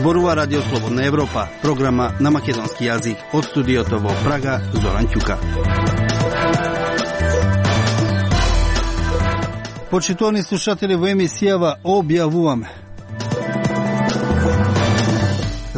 Зборува Радио Слободна Европа, програма на македонски јазик. Од студиото во Прага, Зоран Ќука. Почитувани слушатели, во емисијава објавуваме: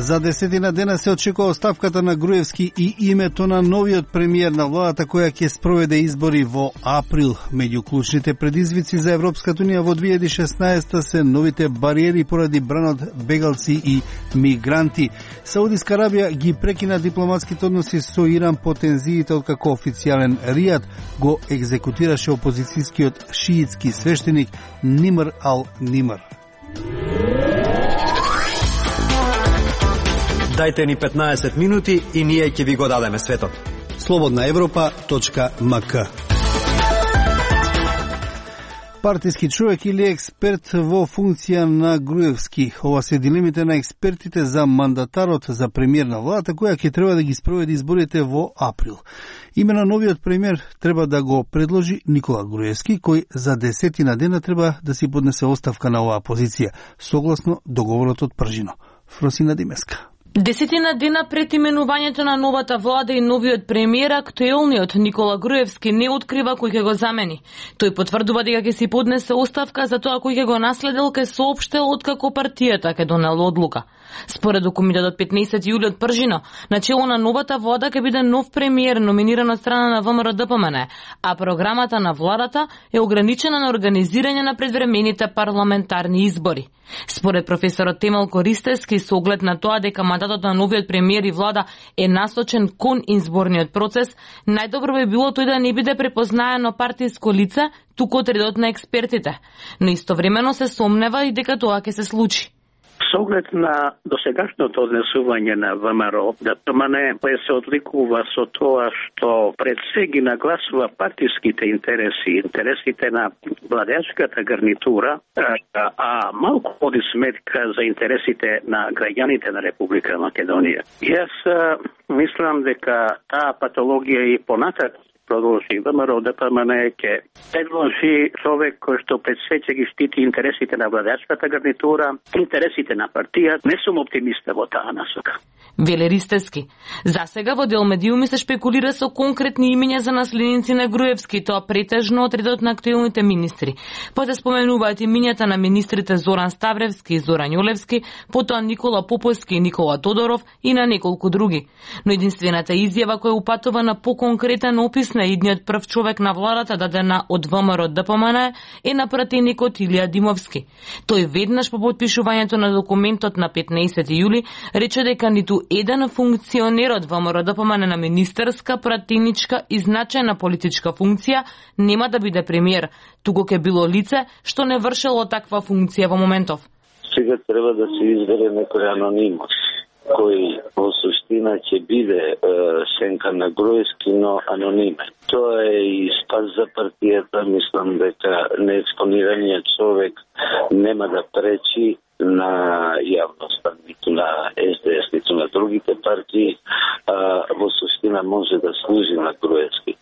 за 10 дена се очекува оставката на Груевски и името на новиот премиер на владата која ќе спроведе избори во април. Меѓу клучните предизвици за Европската унија во 2016 се новите бариери поради бранот бегалци и мигранти. Саудиска Арабија ги прекина дипломатските односи со Иран по тензиите откако официјален Ријад го екзекутираше опозицијскиот шиитски свештеник Нимр ал-Нимр. Дајте ни 15 минути и ние ќе ви го дадеме светот. slobodnaevropa.mk. Партиски човек или експерт во функција на Груевски. Ова се дилемите на експертите за мандатарот за премиер на владата која ќе треба да ги спроведи изборите во април. Имено новиот премиер треба да го предложи Никола Груевски, кој за 10 дена треба да си поднесе оставка на оваа позиција, согласно договорот од Пржино. Фросина Димеска. 10 дена пред именувањето на новата влада и новиот премиер, актуелниот Никола Груевски не открива кој ќе го замени. Тој потврдува дека ќе си поднесе оставка за тоа кој ќе го наследил, ќе соопштил откако партијата ќе донела одлука. Според документот од 15 јули од Пржино, начело на новата влада ќе биде нов премиер номиниран од страна на ВМРО-ДПМН, а програмата на владата е ограничена на организирање на предвремените парламентарни избори. Според професорот Темел Користевски, со оглед на тоа дека мандатот на новиот премиер и влада е насочен кон изборниот процес, најдобро би било тој да не биде препознаено партиско лице, туку од редот на експертите. Но истовремено се сомнева и дека тоа ќе се случи. Со оглед на досегашното однесување на ВМРО, ДПМН се одликува со тоа што пред се ги нагласува партиските интереси, интересите на владеачката гарнитура, а малку води сметка за интересите на граѓаните на Република Македонија. Јас мислам дека таа патологија и понатака продолжи. ВМРО-ДПМН ќе предложи човек кој што пред се ќе ги штити интересите на владеачката гарнитура, интересите на партијата. Не сум оптимиста во таа насока. Веле Ристевски. Засега во дел медиуми се шпекулира со конкретни имиња за наследници на Груевски, тоа претежно од редот на актуелните министри. Потоа споменуваат имињата на министрите Зоран Ставревски и Зоран Јолевски, потоа Никола Поповски и Никола Тодоров и на неколку други. Но единствената изјава која упатува на поконкретен опис на идниот прв човек на владата дадена од ВМРО-ДПМН е на пратеникот Илија Димовски. Тој веднаш по подпишувањето на документот на 15 јули рече дека ниту еден функционер од ВМРО-ДПМН на министерска, пратеничка и значајна политичка функција нема да биде премиер, туку ќе било лице што не вршело таква функција во моментов. Сега треба да се избере некој анонимус кој во суштина ќе биде сенка на Груевски, но анонимен. Тоа е и спас за партијата. Мислам дека неекспонираниот човек нема да пречи на јавноста, ниту на СДС, ниту на другите партии, во суштина може да служи на Груевски.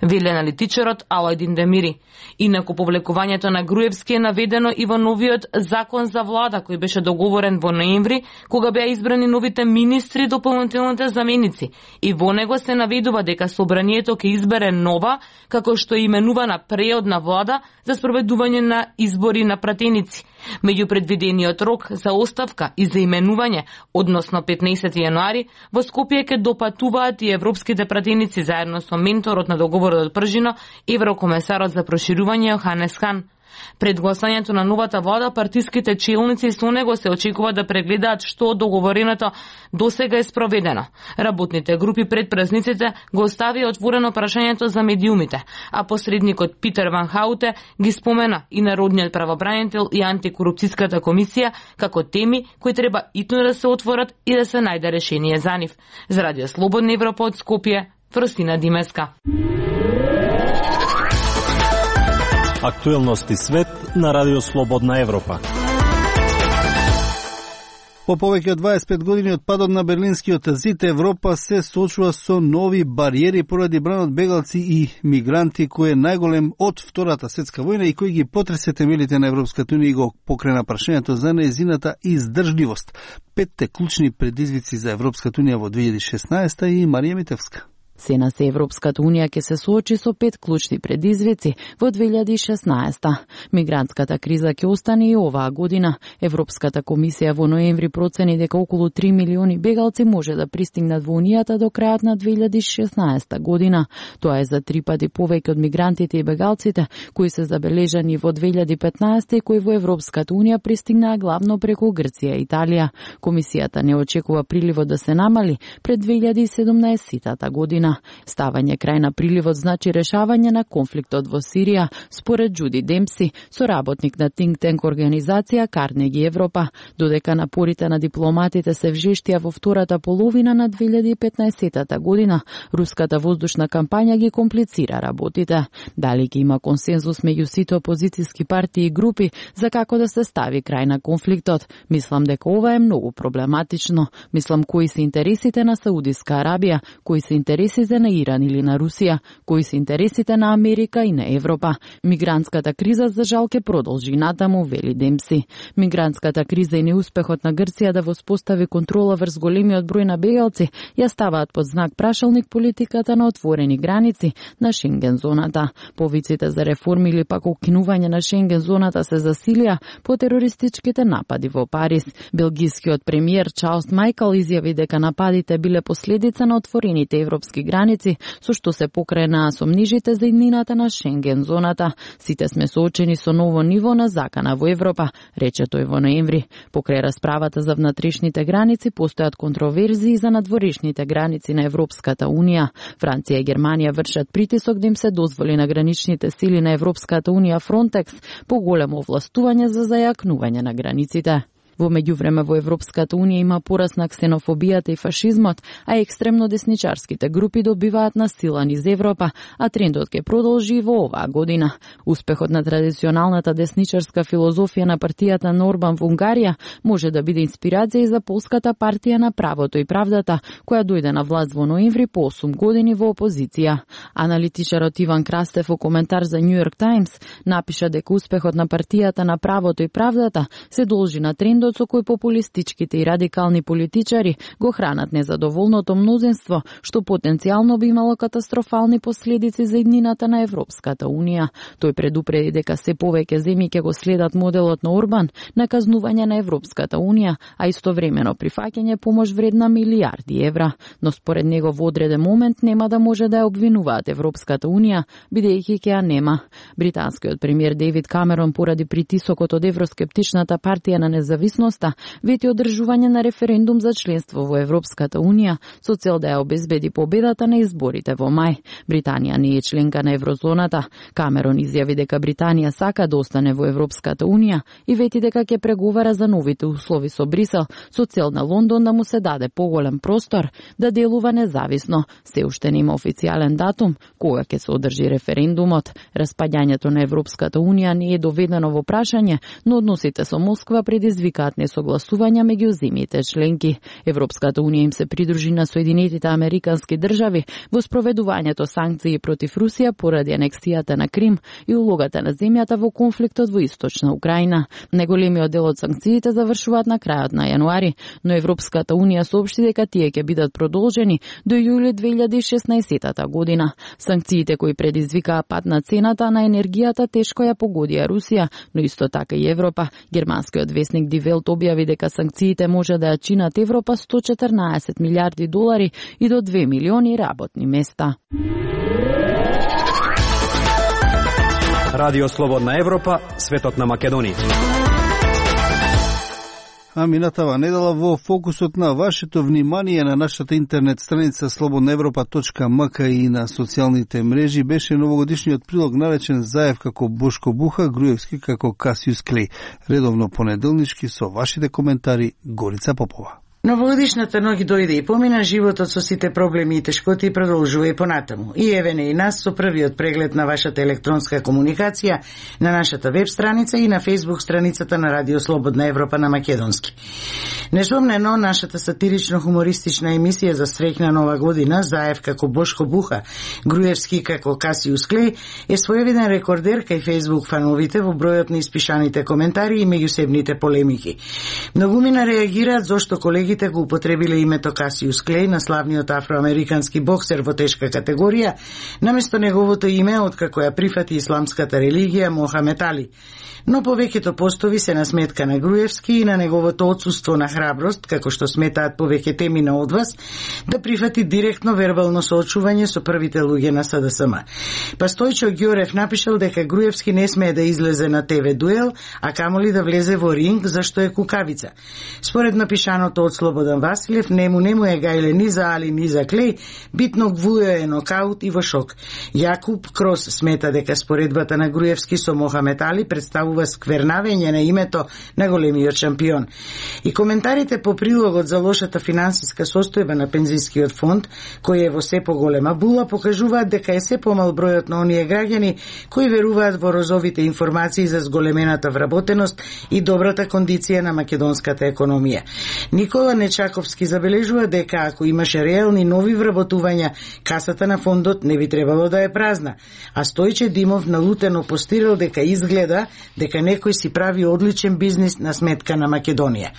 Веле аналитичарот Алајдин Демири. Инаку повлекувањето на Груевски е наведено и во новиот закон за влада кој беше договорен во ноември, кога беа избрани новите министри и дополнителните заменици. И во него се наведува дека собранието ќе избере нова, како што е именувана преодна влада за спроведување на избори на пратеници. Меѓу предвидениот рок за оставка и за именување, односно 15 јануари, во Скопје ќе допатуваат и европските пратеници заедно со менторот на договорот од Пржино, еврокомесарот за проширување Йоханес Хан. Пред гласањето на новата влада, партиските челници со него се очекува да прегледаат што од договореното досега е спроведено. Работните групи пред празниците го оставија отворено прашањето за медиумите, а посредникот Питер Ван Хауте ги спомена и Народниот правобранител и антикорупцијската комисија како теми кои треба итно да се отворат и да се најде решение за нив. За Радио Слободна Европа од Скопје, Фросина Димеска. Актуелности свет на Радио Слободна Европа. По повеќе од 25 години од падот на Берлинскиот зид, Европа се соочува со нови бариери поради бранот бегалци и мигранти, кој е најголем од Втората светска војна и кој ги потресе темелите на Европската унија и го покрена прашањето за нејзината издржливост. 5 клучни предизвици за Европската унија во 2016 и Марија Митевска. Сена се Европската унија ќе се соочи со 5 клучни предизвици во 2016. Мигрантската криза ќе остане и оваа година. Европската комисија во ноември процени дека околу 3 милиони бегалци може да пристигнат во унијата до крајот на 2016 година. Тоа е за 3 пати повеќе од мигрантите и бегалците кои се забележани во 2015 и кои во Европската унија пристигнаа главно преку Грција и Италија. Комисијата не очекува приливот да се намали пред 2017 година. Ставање крај на приливот значи решавање на конфликтот во Сирија, според Джуди Демпси, соработник на think tank организација Карнеги Европа, додека напорите на дипломатите се вжештија во втората половина на 2015 година, руската воздушна кампања ги комплицира работите. Дали ќе има консензус меѓу сите опозициски партии и групи за како да се стави крај на конфликтот? Мислам дека ова е многу проблематично. Мислам кои се интересите на Саудиска Арабија, кои се интересите на Иран или на Русија, кои се интересите на Америка и на Европа. Мигрантската криза за жал ќе продолжи натаму, вели Демпси. Мигрантската криза и неуспехот на Грција да воспостави контрола врз големиот број на бегалци ја ставаат под знак прашалник политиката на отворени граници на Шенген зоната. Повиците за реформи или пак укинување на Шенген зоната се засилија по терористичките напади во Париз. Белгискиот премиер Чарлс Майкл изјави дека нападите биле последица на отворените европски граници, со што се покренаа сомнижите за иднината на Шенген зоната. Сите сме соочени со ново ниво на закана во Европа, рече тој во ноември. Покрај расправата за внатрешните граници постојат контроверзии за надворешните граници на Европската унија. Франција и Германија вршат притисок да им се дозволи на граничните сили на Европската унија Фронтекс поголемо овластување за зајакнување на границите. Во меѓувреме во Европската унија има пораст на ксенофобијата и фашизмот, а екстремно десничарските групи добиваат на сила низ Европа, а трендот ќе продолжи и во оваа година. Успехот на традиционалната десничарска филозофија на партијата на Орбан во Унгарија може да биде инспирација и за полската партија на правото и правдата, која дојде на власт во ноември по 8 години во опозиција. Аналитичарот Иван Крастев во коментар за New York Times напиша дека успехот на партијата на правото и правдата се должи на трендот со кој популистичките и радикални политичари го хранат незадоволното мнозинство, што потенцијално би имало катастрофални последици за иднината на Европската унија. Тој предупреди дека се повеќе земји ќе го следат моделот на Орбан на казнување на Европската унија, а истовремено прифаќање помош вредна милиарди евра. Но според него во одреден момент нема да може да ја обвинуваат Европската унија, бидејќи ќе ја нема. Британскиот премиер Дейвид Камерон поради притисокот од евроскептичната партија на независност вети одржување на референдум за членство во Европската унија со цел да ја обезбеди победата на изборите во мај. Британија не е членка на еврозоната. Камерон изјави дека Британија сака да остане во Европската унија и вети дека ќе преговара за новите услови со Брисел со цел на Лондон да му се даде поголем простор да делува независно. Се уште нема официјален датум кога ќе се одржи референдумот. Распаѓањето на Европската унија не е доведено во прашање, но односите со Москва предизвикаат несогласувања меѓу земјите членки. Европската унија им се придружи на Соединетите Американски држави во спроведувањето санкции против Русија поради анексијата на Крим и улогата на земјата во конфликтот во Источна Украина. Неголемиот дел од санкциите завршуваат на крајот на јануари, но Европската унија соопшти дека тие ќе бидат продолжени до јули 2016 година. Санкциите кои предизвикаа пад на цената на енергијата тешко ја погодија Русија, но исто така и Европа. Германскиот весник Die Welt објави дека санкциите може да ја чинат Европа 114 милиарди долари и до 2 милиони работни места. Радио Слободна Европа, светот на Македонија. А минатава недела во фокусот на вашето внимание на нашата интернет страница slobodnaevropa.mk и на социјалните мрежи беше новогодишниот прилог наречен Заев како Бошко Буха, Груевски како Касиус Клеј. Редовно понеделнички со вашите коментари Горица Попова. Новогодишната ноќ дојде и помина, животот со сите проблеми и тешкоти продолжува и понатаму. И еве не и нас со првиот преглед на вашата електронска комуникација на нашата веб страница и на Facebook страницата на Радио Слободна Европа на македонски. Несомнено, нашата сатирично-хумористична емисија за среќна нова година, Заев како Бошко Буха, Груевски како Касиус Клеј, е своевиден рекордер кај Facebook фановите во бројот на испишаните коментари и меѓусебните полемики. Многумина реагираат зошто колегите го употребиле името Касиус Клеј на славниот афроамерикански боксер во тешка категорија, наместо неговото име откако ја прифати исламската религија Мохамед Али. Но повеќето постови се на сметка на Груевски и на неговото отсуство на храброст, како што сметаат повеќе темина од вас, да прифати директно вербално соочување со првите луѓе на СДСМ. Па Стојчо Ѓорев напишал дека Груевски не смее да излезе на ТВ дуел, а камоли да влезе во ринг, зашто е кукавица. Според напишаното од Слободан Василев, нему е гајле ни за Али, ни за Клеј, битно гвуе е нокаут и во шок. Јакуб Крос смета дека споредбата на Груевски со Мохамед Али представува сквернавење на името на големиот шампион. И коментарите по прилогот за лошата финансиска состојба на пензискиот фонд, кој е во се поголема була, покажуваат дека е се помал бројот на оние граѓани кои веруваат во розовите информации за зголемената вработеност и добрата кондиција на македонската економија. Никола Нечаковски забележува дека ако имаше реални нови вработувања, касата на фондот не би требало да е празна, а Стојче Димов налутено постирал дека изгледа дека некој си прави одличен бизнис на сметка на Македонија.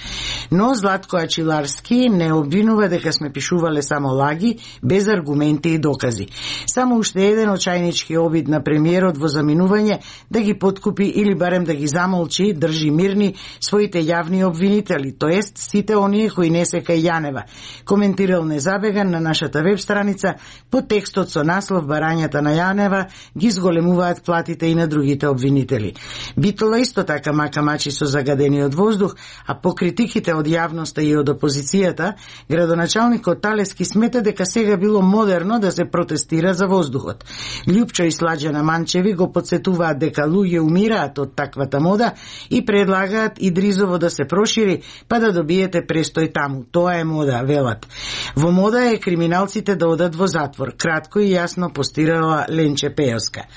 Но Златко Ачиларски не обвинува дека сме пишувале само лаги, без аргументи и докази. Само уште еден очајнички обид на премиерот во заминување да ги подкупи или барем да ги замолчи, држи мирни своите јавни обвинители, тоест сите оние кои не се кај Јанева. Коментирал Незабеган на нашата веб страница под текстот со наслов "Барањата на Јанева ги зголемуваат платите и на другите обвинители". Битола исто така мака мачи со загадениот воздух, а по критиките од јавноста и од опозицијата, градоначалникот Талески смета дека сега било модерно да се протестира за воздухот. Љупчо и Сладжана Манчеви го подсетуваат дека луѓе умираат од таквата мода и предлагаат Идризово да се прошири, па да добиете престој таму. Тоа е мода, велат. Во мода е криминалците да одат во затвор. Кратко и јасно постирала Ленче Пејоска.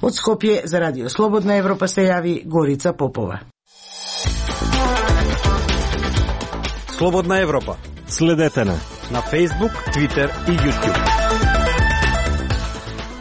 Од Скопје за Радио Слободна Европа се јави Горица Попова. Слободна Европа. Следете на Facebook, Twitter и YouTube.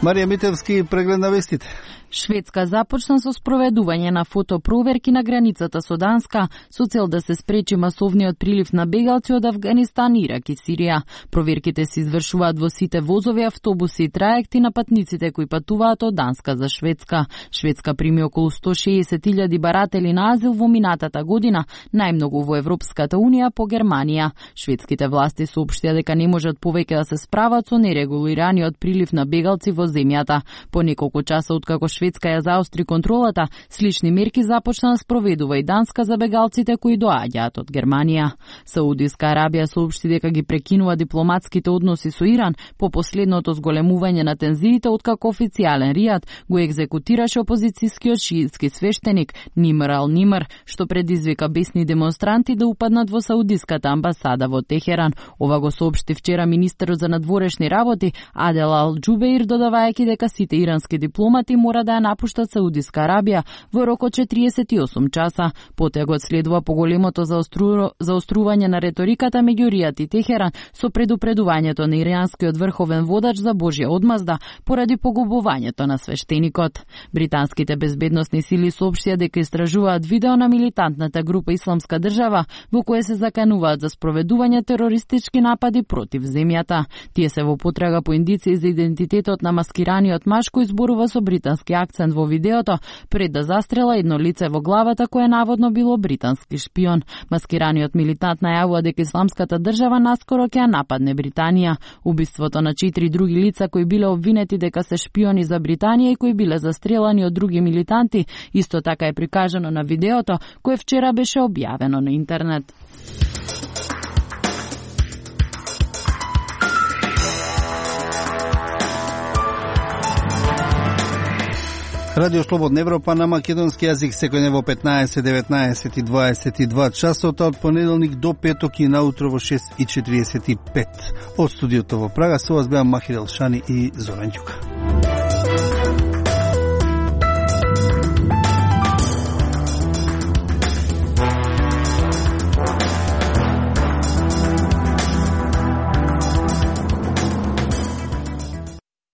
Марија Митевски преглед на вестите. Шведска започна со спроведување на фотопроверки на границата со Данска со цел да се спречи масовниот прилив на бегалци од Авганистан, Ирак и Сирија. Проверките се извршуваат во сите возови, автобуси и траекти на патниците кои патуваат од Данска за Шведска. Шведска прими околу 160.000 баратели на азил во минатата година, најмногу во Европската унија по Германија. Шведските власти соопштија дека не можат повеќе да се справат со нерегулираниот прилив на бегалци во земјата. По неколку часа откако Шведска ја заостри контролата, слични мерки започна да спроведува и Данска за бегалците кои доаѓаат од Германија. Саудиска Арабија соопшти дека ги прекинува дипломатските односи со Иран по последното зголемување на тензиите откако официјален Ријад го екзекутираше опозицијскиот шиитски свештеник Нимр ал-Нимр, што предизвика бесни демонстранти да упаднат во Саудиската амбасада во Техеран. Ова го соопшти вчера министерот за надворешни работи Адел ал-Џубеир, додавајќи дека сите ирански дипломати мора да ја напуштат Саудиска Арабија во рок од 48 часа. Потегот следува поголемото заострување на реториката меѓу Ријад и Техеран со предупредувањето на иранскиот врховен водач за Божја одмазда поради погубувањето на свештеникот. Британските безбедносни сили соопштија дека истражуваат видео на милитантната група Исламска држава во кое се закануваат за спроведување терористички напади против земјата. Тие се во потрага по индици за идентитетот на маскираниот маж кој зборува со британски акцент во видеото пред да застрела едно лице во главата кое наводно било британски шпион. Маскираниот милитант најавува дека Исламската држава наскоро ќе ја нападне Британија. Убиството на 4 други лица кои биле обвинети дека се шпиони за Британија и кои биле застрелани од други милитанти исто така е прикажано на видеото кое вчера беше објавено на интернет. Радио Слободна Европа на македонски јазик секој ден во 15, 19 и 22 часот, од понеделник до петок и наутро во 6:45. Од студиото во Прага со вас беа Махир Елшани и Зоран Ѓука.